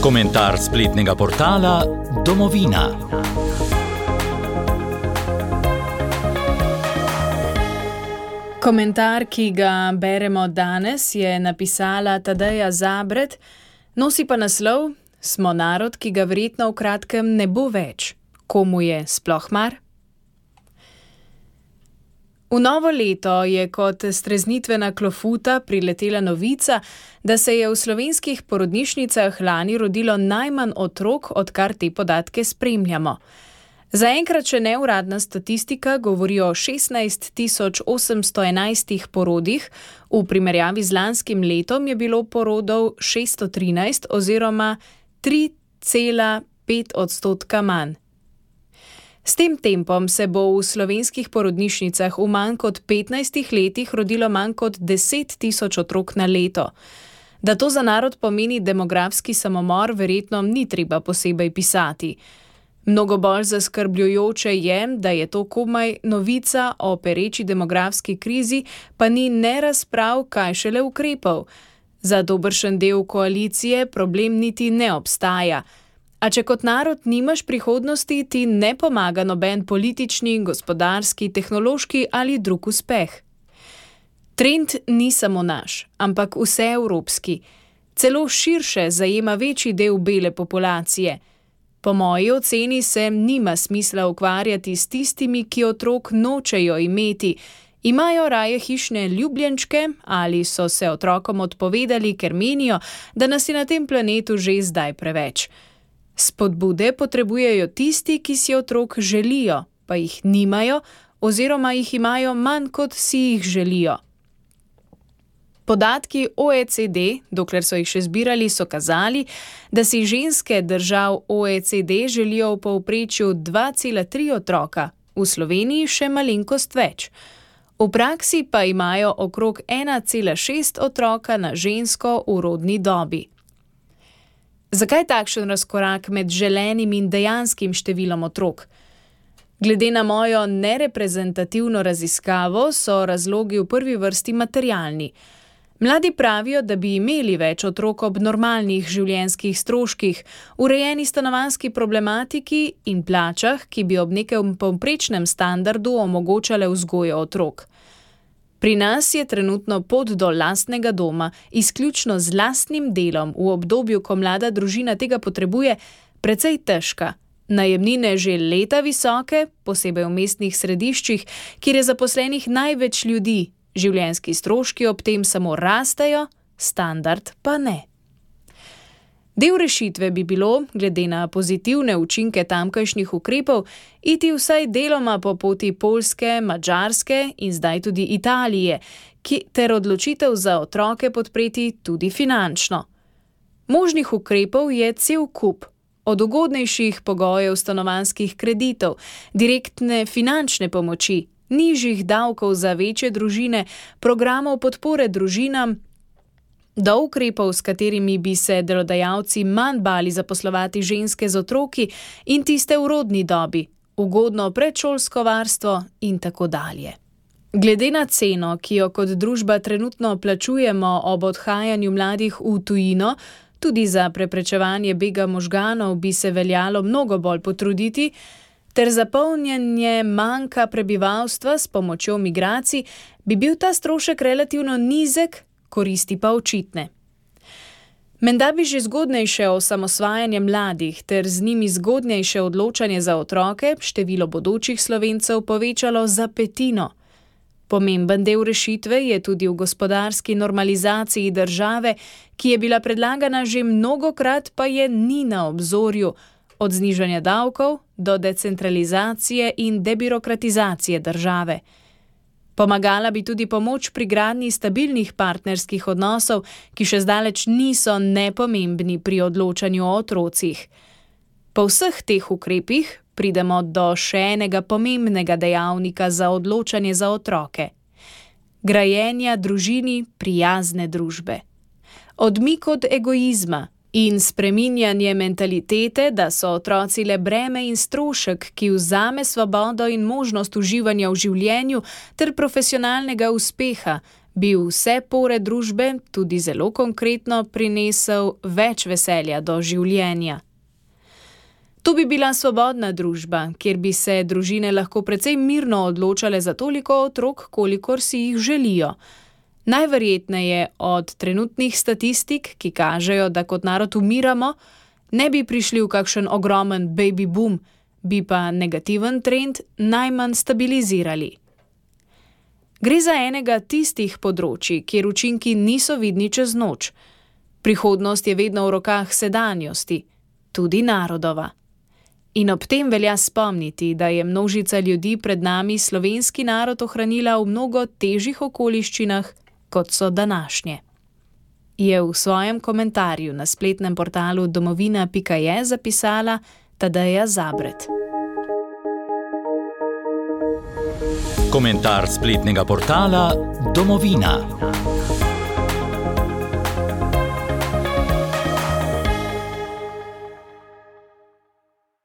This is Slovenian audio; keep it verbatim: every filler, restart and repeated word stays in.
Komentar spletnega portala Domovina. Komentar, ki ga beremo danes, je napisala Tadeja Zabret, nosi pa naslov Smo narod, ki ga verjetno v kratkem ne bo več. Komu je sploh mar? V novo leto je kot streznitvena klofuta priletela novica, da se je v slovenskih porodnišnicah lani rodilo najmanj otrok, odkar te podatke spremljamo. Zaenkrat še neuradna statistika govori o šestnajst tisoč osemsto enajstih porodih, v primerjavi z lanskim letom je bilo porodov šeststo trinajst oziroma tri cela pet odstotka manj. S tem tempom se bo v slovenskih porodnišnicah v manj kot petnajstih letih rodilo manj kot deset tisoč otrok na leto. Da to za narod pomeni demografski samomor, verjetno ni treba posebej pisati. Mnogo bolj zaskrbljujoče je, da je to komaj novica o pereči demografski krizi, pa ni ne razprav, kaj šele ukrepov. Za dobršen del koalicije problem niti ne obstaja. A če kot narod nimaš prihodnosti, ti ne pomaga noben politični, gospodarski, tehnološki ali drug uspeh. Trend ni samo naš, ampak vseevropski. Celo širše zajema večji del bele populacije. Po moji oceni se nima smisla ukvarjati s tistimi, ki otrok nočejo imeti, imajo raje hišne ljubljenčke ali so se otrokom odpovedali, ker menijo, da nas je na tem planetu že zdaj preveč. Spodbude potrebujejo tisti, ki si otrok želijo, pa jih nimajo oziroma jih imajo manj, kot si jih želijo. Podatki O E C D, dokler so jih še zbirali, so kazali, da si ženske držav O E C D želijo v povprečju dva cela tri otroka, v Sloveniji še malenkost več. V praksi pa imajo okrog ena cela šest otroka na žensko v rodni dobi. Zakaj takšen razkorak med želenim in dejanskim številom otrok? Glede na mojo nereprezentativno raziskavo so razlogi v prvi vrsti materialni. Mladi pravijo, da bi imeli več otrok ob normalnih življenjskih stroških, urejeni stanovanjski problematiki in plačah, ki bi ob nekem povprečnem standardu omogočale vzgojo otrok. Pri nas je trenutno pot do lastnega doma, izključno z lastnim delom v obdobju, ko mlada družina tega potrebuje, precej težka. Najemnine že leta visoke, posebej v mestnih središčih, kjer je zaposlenih največ ljudi, življenjski stroški ob tem samo rastejo, standard pa ne. Del rešitve bi bilo, glede na pozitivne učinke tamkajšnjih ukrepov, iti vsaj deloma po poti Poljske, Madžarske in zdaj tudi Italije, ki ter odločitev za otroke podpreti tudi finančno. Možnih ukrepov je cel kup, od ugodnejših pogojev stanovanjskih kreditov, direktne finančne pomoči, nižjih davkov za večje družine, programov podpore družinam, do ukrepov, s katerimi bi se delodajalci manj bali zaposlovati ženske z otroki in tiste v rodni dobi, ugodno predšolsko varstvo in tako dalje. Glede na ceno, ki jo kot družba trenutno plačujemo ob odhajanju mladih v tujino, tudi za preprečevanje bega možganov bi se veljalo mnogo bolj potruditi, ter zapolnjanje manjka prebivalstva s pomočjo migracij, bi bil ta strošek relativno nizek, koristi pa očitne. Menda bi že zgodnejše osamosvajanje mladih ter z njimi zgodnejše odločanje za otroke število bodočih Slovencev povečalo za petino. Pomemben del rešitve je tudi v gospodarski normalizaciji države, ki je bila predlagana že mnogokrat, pa je ni na obzorju, od znižanja davkov do decentralizacije in debirokratizacije države. Pomagala bi tudi pomoč pri gradnji stabilnih partnerskih odnosov, ki še zdaleč niso nepomembni pri odločanju o otrocih. Po vseh teh ukrepih pridemo do še enega pomembnega dejavnika za odločanje za otroke. Grajenja družini prijazne družbe. Odmik od egoizma in spreminjanje mentalitete, da so otroci le breme in strošek, ki vzame svobodo in možnost uživanja v življenju ter profesionalnega uspeha, bi vse pore družbe, tudi zelo konkretno, prinesel več veselja do življenja. To bi bila svobodna družba, kjer bi se družine lahko precej mirno odločale za toliko otrok, kolikor si jih želijo. Najverjetneje od trenutnih statistik, ki kažejo, da kot narod umiramo, ne bi prišli v kakšen ogromen baby boom, bi pa negativen trend najmanj stabilizirali. Gre za enega tistih področji, kjer učinki niso vidni čez noč. Prihodnost je vedno v rokah sedanjosti, tudi narodova. In ob tem velja spomniti, da je množica ljudi pred nami slovenski narod ohranila v mnogo težjih okoliščinah, kot so današnje. Je v svojem komentarju na spletnem portalu domovina pika je zapisala Tadeja Zabret. Komentar spletnega portala Domovina.